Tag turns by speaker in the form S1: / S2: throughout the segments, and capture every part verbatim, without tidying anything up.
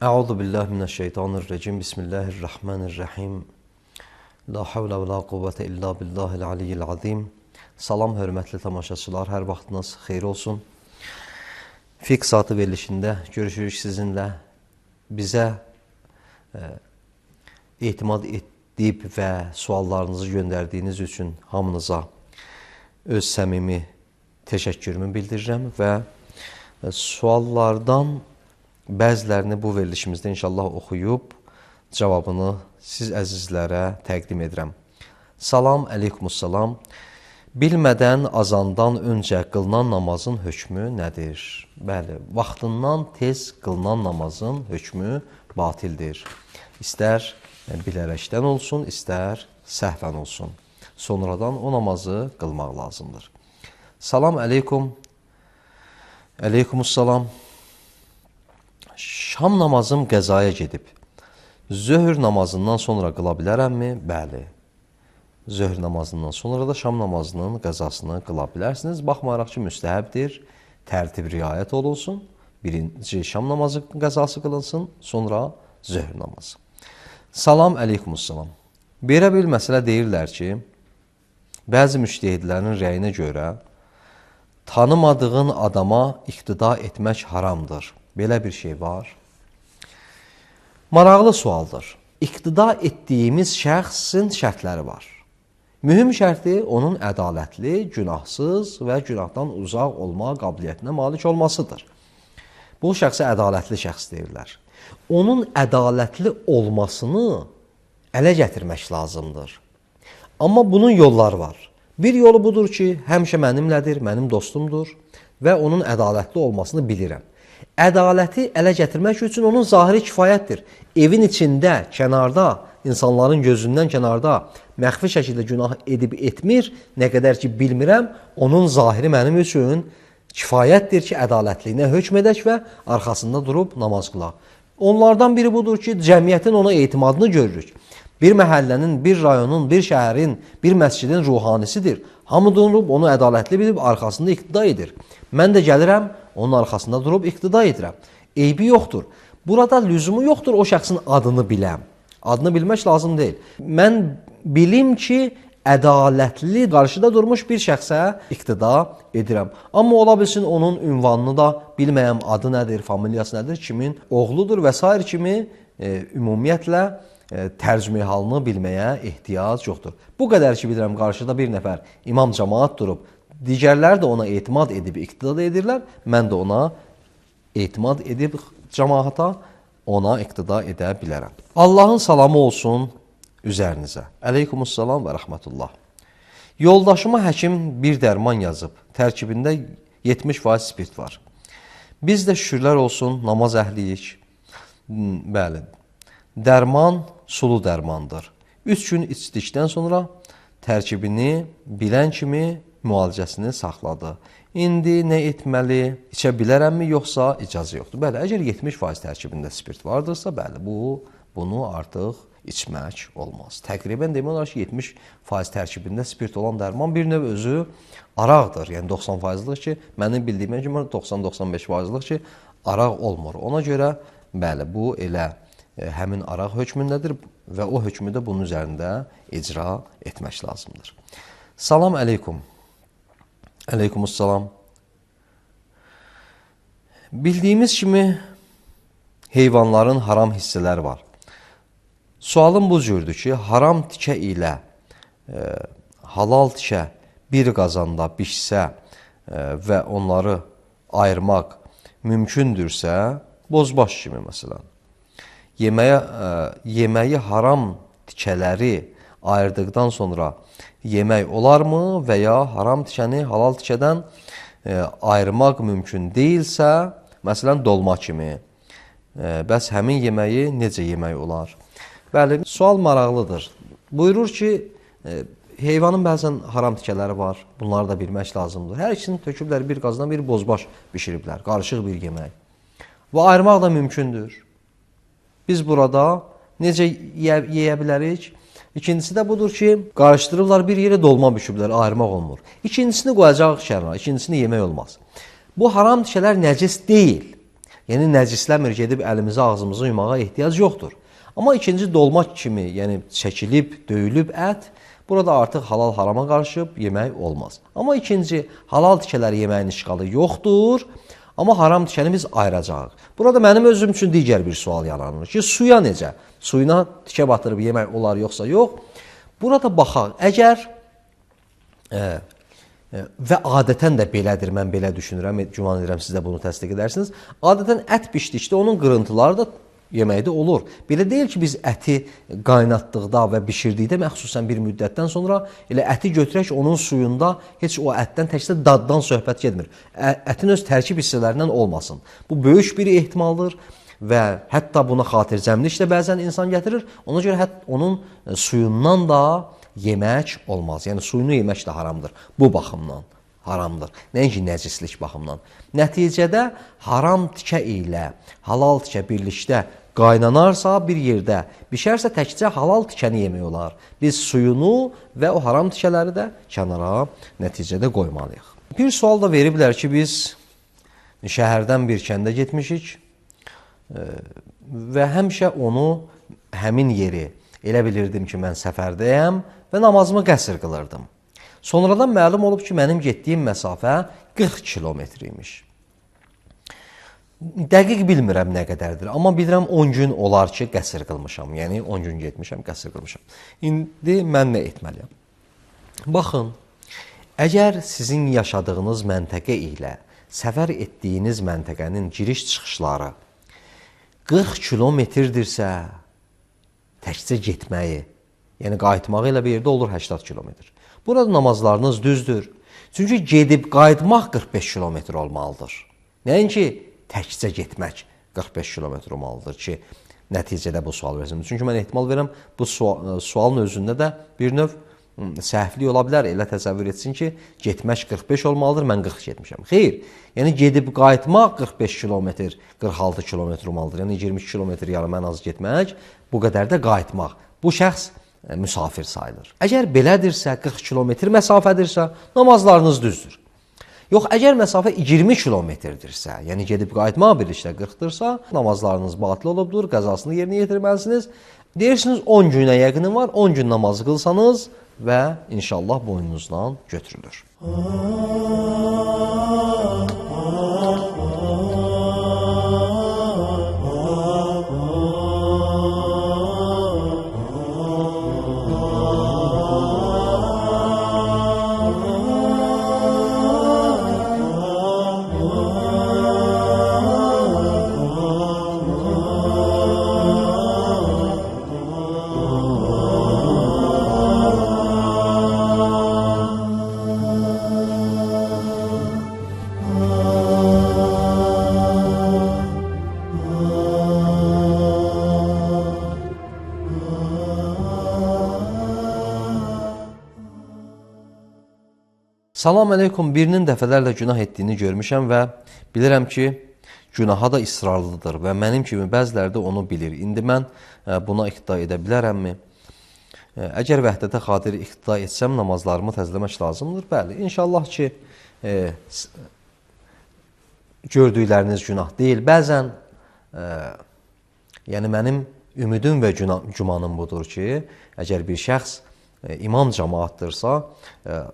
S1: Euzu billahi mineşşeytanirracim. Bismillahirrahmanirrahim. La havle və la quvvete illa billahil aliyyil azim. Salam hörmətli tamaşaçılar, hər vaxtınız xeyir olsun. Fiqh saatı verilişində görüşürük sizinlə. Bizə e, etimad edib və suallarınızı göndərdiyiniz üçün hamınıza öz səmimi təşəkkürümü bildirirəm və e, suallardan bəzilərini bu verilişimizdə inşallah oxuyub cavabını siz əzizlərə təqdim edirəm. Salam, əleykumussalam. Bilmədən azandan öncə qılınan namazın hökmü nədir? Bəli, vaxtından tez qılınan namazın hökmü batildir. İstər bilərəkdən olsun, istər səhvən olsun. Sonradan o namazı qılmaq lazımdır. Salam, əleykum. Əleykumussalam. Şam namazım qəzaya gedib. Zöhr namazından sonra qıla bilərəmmi? Bəli. Zöhr namazından sonra da şam namazının qəzasını qıla bilərsiniz. Baxmayaraq ki, müstəhəbdir, tərtib riayət olunsun. Birinci şam namazı qəzası qılınsın, sonra zöhr namazı. Salam, əleykumussalam. Belə bir məsələ deyirlər ki, bəzi müştəhidlərin rəyinə görə tanımadığın adama iqtida etmək haramdır. Belə bir şey var. Maraqlı sualdır. İqtida etdiyimiz şəxsin şərtləri var. Mühüm şərti onun ədalətli, günahsız və günahdan uzaq olma qabiliyyətinə malik olmasıdır. Bu şəxsə ədalətli şəxs deyirlər. Onun ədalətli olmasını ələ gətirmək lazımdır. Amma bunun yolları var. Bir yolu budur ki, həmişə mənimlədir, mənim dostumdur və onun ədalətli olmasını bilirəm. Ədaləti ələ gətirmək üçün onun zahiri kifayətdir. Evin içində, kənarda, insanların gözündən kənarda məxfi şəkildə günah edib etmir, nə qədər ki bilmirəm, onun zahiri mənim üçün kifayətdir ki, ədalətliyinə hökm edək və arxasında durub namaz qılaq. Onlardan biri budur ki, cəmiyyətin ona etimadını görürük. Bir məhəllənin, bir rayonun, bir şəhərin, bir məscidin ruhanisidir. Hamı durub onu ədalətli bilib arxasında iqtida edir. Mən də gəlirəm, onun arxasında durub iqtida edirəm. Eybi yoxdur. Burada lüzumu yoxdur o şəxsin adını biləm. Adını bilmək lazım deyil. Mən bilim ki, ədalətli qarşıda durmuş bir şəxsə iqtida edirəm. Amma ola bilsin onun ünvanını da bilməyəm, adı nədir, familiyası nədir, kimin oğludur və s. kimi e, ümumiyyətlə e, tərcümə halını bilməyə ehtiyac yoxdur. Bu qədər ki bilirəm, qarşıda bir nəfər imam cəmaat durub, digərləri də ona etimad edib iqtida edirlər, mən də ona etimad edib cəmaata ona iqtida edə bilərəm. Allahın salamı olsun üzərinizə. Əleykumussalam və rəhmətullah. Yoldaşıma həkim bir dərman yazıb. Tərkibində yetmiş faiz spirt var. Biz də şükürlər olsun, namaz əhliyik. Bəli, dərman sulu dərmandır. Üç gün içdikdən sonra tərkibini bilən kimi müalicəsini saxladı. İndi nə etməli, içə bilərəmmi, yoxsa icazə yoxdur? Bəli, əgər yetmiş faiz tərkibində spirt vardırsa, bəli, bu, bunu artıq içmək olmaz. Təqribən demək olar ki, yetmiş faiz tərkibində spirt olan dərman bir növ özü araqdır. Yəni doxsan faizlik ki, mənim bildiyimə kimi doxsan doxsan beş faizlik ki, araq olmur. Ona görə, bəli, bu elə e, həmin araq hökmündədir və o hökmü də bunun üzərində icra etmək lazımdır. Salam əleykum. Əleykumussalam. Bildiyimiz kimi heyvanların haram hissələri var. Sualım bu cürdür ki, haram tikə ilə e, halal tikə bir qazanda bişsə e, və onları ayırmaq mümkündürsə, bozbaş kimi məsələn, yeməyə, e, yeməyi haram tikələri ayırdıqdan sonra yemək olarmı və ya haram tikəni halal tikədən e, ayırmaq mümkün deyilsə, məsələn, dolma kimi, e, bəs həmin yeməyi necə yemək olar? Bəli, sual maraqlıdır. Buyurur ki, e, heyvanın bəzən haram tikələri var, bunları da bilmək lazımdır. Hər ikisini töküblər bir qazdan bir bozbaş bişiriblər, qarışıq bir yemək. Və ayırmaq da mümkündür. Biz burada necə yeyə, yeyə bilərik? İkincisi də budur ki, qarışdırırlar bir yerə dolma bişiblər, ayırmaq olmur. İkincisini qoyacaq kənara, ikincisini yemək olmaz. Bu haram tikələr nəcis deyil. Yəni nəcisləmir, gedib əlimizi, ağzımızı yumağa ehtiyac yoxdur. Amma ikinci dolma kimi, yəni çəkilib, döyülüb ət, burada artıq halal harama qarışıb yemək olmaz. Amma ikinci, halal tikələri yeməyin işğalı yoxdur, amma haram tikəni biz ayıracağıq. Burada mənim özüm üçün digər bir sual yaranır ki, suya necə? Suyuna tikə batırıb yemək olar yoxsa yox? Burada baxaq, əgər e, e, və adətən də belədir, mən belə düşünürəm, güman edirəm siz də bunu təsdiq edərsiniz. Adətən ət bişdikdə onun qırıntıları da yeməkdə olur. Belə deyil ki, biz əti qaynatdıqda və bişirdikdə məxsusən bir müddətdən sonra elə əti götürək onun suyunda heç o ətdən təkcə daddan söhbət getmir. Ətin öz tərkib hissələrindən olmasın. Bu böyük bir ehtimaldır və hətta buna xatircəmlik də bəzən insan gətirir. Ona görə hətta onun suyundan da yemək olmaz. Yəni suyunu yemək də haramdır bu baxımdan. Haramdır. Nəinki nəcislik baxımından. Nəticədə haram tikə ilə halal tikə birlikdə qaynanarsa bir yerdə, bişərsə təkcə halal tikəni yemək olar. Biz suyunu və o haram tikələri də kənara nəticədə qoymalıyıq. Bir sual da veriblər ki, biz şəhərdən bir kəndə getmişik və həmişə onu, həmin yeri elə bilirdim ki, mən səfərdəyəm və namazımı qəsr qılırdım. Sonradan məlum olub ki, mənim getdiyim məsafə qırx kilometr imiş. Dəqiq bilmirəm nə qədərdir, amma bilirəm on gün olar ki, qəsr qılmışam. Yəni on gün getmişəm, qəsr qılmışam. İndi mən nə etməliyəm? Baxın, əgər sizin yaşadığınız məntəqə ilə səfər etdiyiniz məntəqənin giriş-çıxışları qırx kilometrdirsə, təkcə getməyi, yəni qayıtmağı ilə bir yerdə olur səksən kilometr. Burada namazlarınız düzdür. Çünki gedib qayıtmaq qırx beş kilometr olmalıdır. Nəinki təkcə getmək qırx beş kilometr olmalıdır ki, nəticədə bu sual versin. Çünki mən ehtimal verirəm, bu sual, sualın özündə də bir növ səhvlik ola bilər. Elə təsəvvür etsin ki, getmək qırx beş olmalıdır, mən qırx getmişəm. Xeyr, yəni gedib qayıtmaq qırx beş kilometr, qırx altı kilometr olmalıdır. Yəni iyirmi iki kilometr yarım ən az getmək, bu qədər də qayıtmaq. Bu şəxs müsafir sayılır. Əgər belədirsə, qırx kilometr məsafədirsə, namazlarınız düzdür. Yox, əgər məsafə iyirmi kilometrdirsə, yəni gedib qayıtmaq birlikdə qırxdırsa, namazlarınız batıl olubdur, qəzasını yerinə yetirməlisiniz. Deyirsiniz on günə yaxını var, on gün namazı qılsanız və inşallah boynunuzdan götürülür. Salam əleykum, birinin dəfələrlə günah etdiyini görmüşəm və bilirəm ki, günaha da israrlıdır və mənim kimi bəziləri də onu bilir. İndi mən buna iqtida edə bilərəmmi? Əgər vəhdətə xatir iqtida etsəm, namazlarımı təzələmək lazımdır. Bəli, inşallah ki, e, gördükləriniz günah deyil. Bəzən, e, yəni mənim ümidim və gümanım budur ki, əgər bir şəxs imam cəmaatdırsa,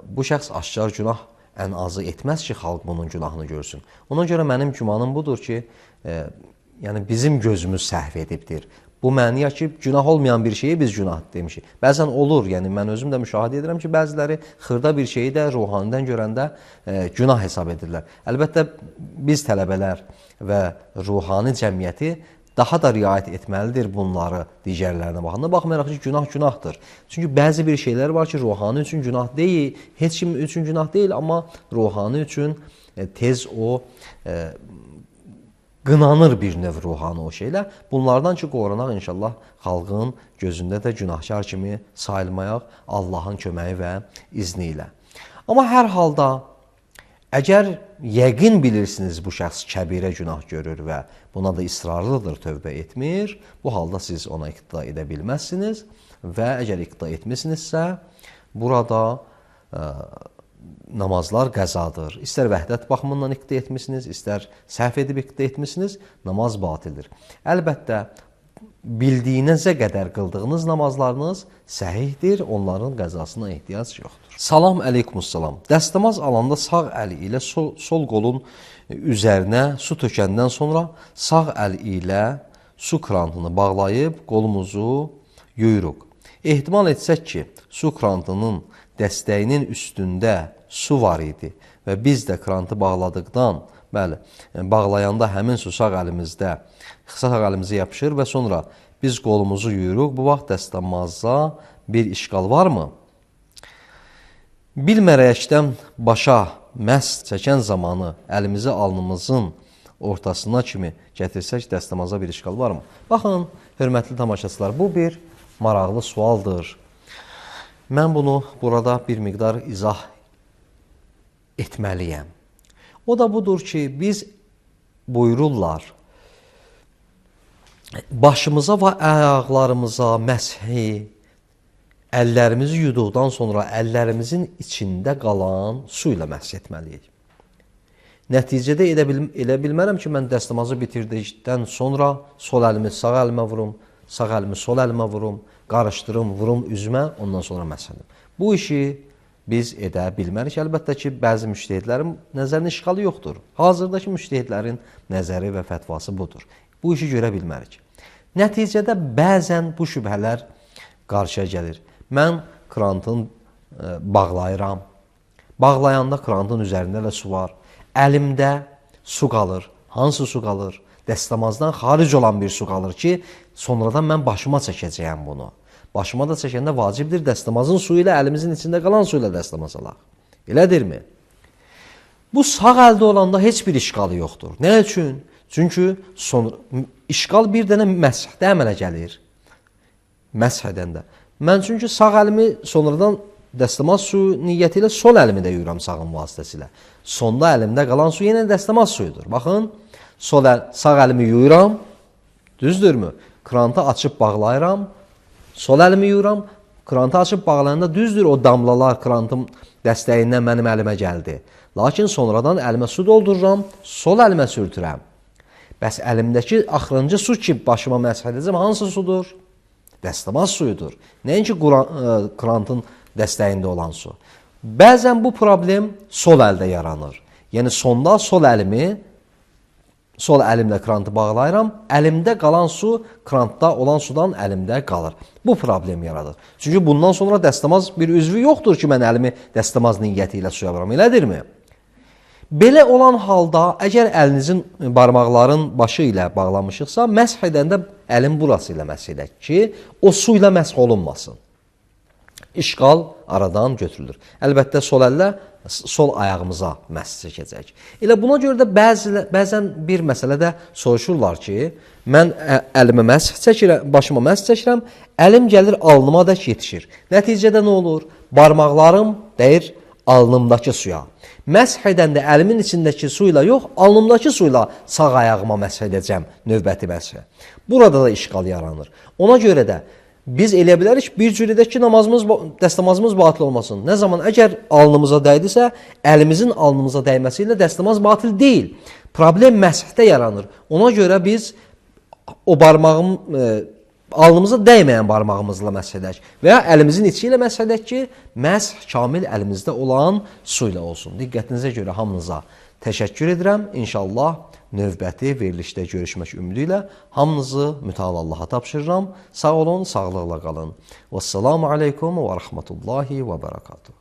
S1: bu şəxs aşkar günah ən azı etməz ki, xalq bunun günahını görsün. Ona görə mənim gümanım budur ki, e, yəni bizim gözümüz səhv edibdir. Bu məniyə ki, günah olmayan bir şeyi biz günah demişik. Bəzən olur, yəni mən özüm də müşahidə edirəm ki, bəziləri xırda bir şeyi də ruhanidən görəndə e, günah hesab edirlər. Əlbəttə, biz tələbələr və ruhani cəmiyyəti daha da riayət etməlidir bunları digərlərinə baxanda. Baxmayaraq ki, günah günahdır. Çünki bəzi bir şeylər var ki, ruhani üçün günah deyil, heç kim üçün günah deyil, amma ruhani üçün e, tez o e, qınanır bir növ ruhani o şeylər. Bunlardan ki, qorunaq inşallah xalqın gözündə də günahkar kimi sayılmayaq Allahın köməyi və izni ilə. Amma hər halda, əgər yəqin bilirsiniz bu şəxs kəbirə günah görür və buna da israrlıdır, tövbə etmir, bu halda siz ona iqtida edə bilməzsiniz və əgər iqtida etmişsinizsə, burada ə, namazlar qəzadır. İstər vəhdət baxımından iqtida etmisiniz, istər səhv edib iqtida etmisiniz, namaz batildir. Əlbəttə, bildiyinizə qədər qıldığınız namazlarınız səhihdir, onların qəzasına ehtiyac yoxdur. Salam əleykumussalam. Dəstəmaz alanda sağ əli ilə sol, sol qolun üzərinə su tökəndən sonra sağ əl ilə su krantını bağlayıb qolumuzu yuyuruq. Ehtimal etsək ki, su krantının dəstəyinin üstündə su var idi və biz də krantı bağladıqdan, bəli, bağlayanda həmin su sağ əlimizdə, sağ əlimizə yapışır və sonra biz qolumuzu yuyuruq. Bu vaxt dəstəmazda bir işqal varmı? Bilmərəkdən başa məs çəkən zamanı əlimizi alnımızın ortasına kimi gətirsək, dəstəmaza bir işqal varmı? Baxın, hörmətli tamaşaçılar, bu bir maraqlı sualdır. Mən bunu burada bir miqdar izah etməliyəm. O da budur ki, biz buyururlar, başımıza və ayaqlarımıza məshi, əllərimizi yuduqdan sonra əllərimizin içində qalan su ilə məsh etməliyik. Nəticədə elə, bil elə bilmərəm ki, mən dəstəmazı bitirdikdən sonra sol əlimi sağ əlimə vurum, sağ əlimi sol əlimə vurum, qarışdırım, vurum üzümə, ondan sonra məsh edim. Bu işi biz edə bilmərik. Əlbəttə ki, bəzi müştəhidlərin nəzərinin işğalı yoxdur. Hazırdakı müştəhidlərin nəzəri və fətvası budur. Bu işi görə bilmərik. Nəticədə bəzən bu şübhələr qarşıya gəlir. Mən krantın e, bağlayıram. Bağlayanda krantın üzərində də su var. Əlimdə su qalır. Hansı su qalır? Dəstəmazdan xaric olan bir su qalır ki, sonradan mən başıma çəkəcəyəm bunu. Başıma da çəkəndə vacibdir dəstəmazın suyu ilə əlimizin içində qalan su ilə dəstəmaz alaq. Elədirmi? Bu sağ əldə olanda heç bir işqalı yoxdur. Nə üçün? Çünki sonra, işqal bir dənə məshdə əmələ gəlir. Məsh edəndə. Mən çünki sağ əlimi sonradan dəstəmaz suyu niyyəti ilə sol əlimi də yuyuram sağın vasitəsilə. Sonda əlimdə qalan su yenə dəstəmaz suyudur. Baxın, sol əl, sağ əlimi yuyuram, düzdürmü? Krantı açıb bağlayıram, sol əlimi yuyuram, krantı açıb bağlayanda düzdür, o damlalar krantın dəstəyindən mənim əlimə gəldi. Lakin sonradan əlimə su doldururam, sol əlimə sürtürəm. Bəs əlimdəki axırıncı su ki, başıma məsh edəcəm, hansı sudur? Dəstəmaz suyudur. Nəinki krantın dəstəyində olan su. Bəzən bu problem sol əldə yaranır. Yəni sonda sol əlimi, sol əlimlə krantı bağlayıram, əlimdə qalan su krantda olan sudan əlimdə qalır. Bu problem yaradır. Çünki bundan sonra dəstəmaz bir üzvü yoxdur ki, mən əlimi dəstəmaz niyyəti ilə suya vuram, elədirmi? Belə olan halda, əgər əlinizin barmaqların başı ilə bağlamışıqsa, məsh edəndə əlin burası ilə məsh edək ki, o su ilə məsh olunmasın. İşqal aradan götürülür. Əlbəttə, sol əllə sol ayağımıza məsh çəkəcək. Elə buna görə də bəzi, bəzən bir məsələdə soruşurlar ki, mən əlimə məsh çəkirəm, başıma məsh çəkirəm, əlim gəlir alnıma da yetişir. Nəticədə nə olur? Barmaqlarım dəyir alnımdakı suya. Məsh edəndə əlimin içindəki su ilə yox, alnımdakı su ilə sağ ayağıma məsh edəcəm növbəti məshə. Burada da işqal yaranır. Ona görə də biz elə bilərik bir cür edək ki, namazımız, dəstəmazımız batil olmasın. Nə zaman əgər alnımıza dəydisə, əlimizin alnımıza dəyməsi ilə dəstəmaz batil deyil. Problem məshdə yaranır. Ona görə biz o barmağım, e, alnımıza dəyməyən barmağımızla məsh edək və ya əlimizin içi ilə məsh edək ki, məsh kamil əlimizdə olan su ilə olsun. Diqqətinizə görə hamınıza təşəkkür edirəm. İnşallah növbəti verilişdə görüşmək ümidi ilə hamınızı mütəal Allaha tapşırıram. Sağ olun, sağlıqla qalın. Vəssalamu aleykum və rəhmətullahi və bərəkatuhu.